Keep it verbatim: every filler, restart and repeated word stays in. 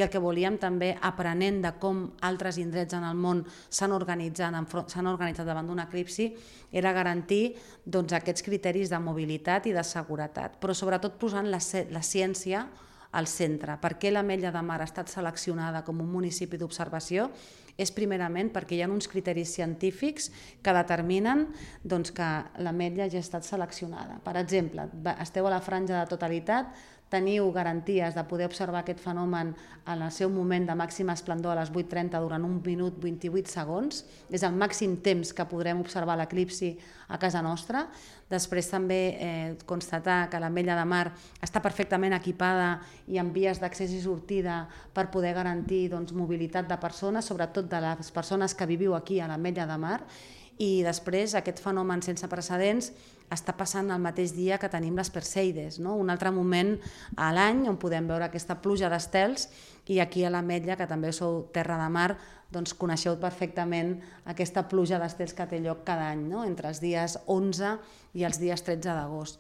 I el que volíem també, aprenent de com altres indrets en el món s'han organitzat, s'han organitzat davant d'un eclipsi, era garantir doncs, aquests criteris de mobilitat i de seguretat, però sobretot posant la, la ciència al centre. Per què l'Ametlla de Mar ha estat seleccionada com un municipi d'observació? És primerament perquè hi ha uns criteris científics que determinen doncs, que l'Ametlla ja ha estat seleccionada. Per exemple, esteu a la franja de totalitat, teniu garanties de poder observar aquest fenomen en el seu moment de màxima esplendor a les vuit trenta durant un minut vint-i-vuit segons. És el màxim temps que podrem observar l'eclipsi a casa nostra. Després també eh, constatar que l'Ametlla de Mar està perfectament equipada i amb vies d'accés i sortida per poder garantir doncs, mobilitat de persones, sobretot de les persones que viviu aquí a l'Ametlla de Mar. I després aquest fenomen sense precedents està passant el mateix dia que tenim les Perseides, no? Un altre moment a l'any on podem veure aquesta pluja d'estels, i aquí a l'Ametlla, que també sou terra de mar, doncs coneixeu perfectament aquesta pluja d'estels que té lloc cada any, no? Entre els dies onze i els dies tretze d'agost.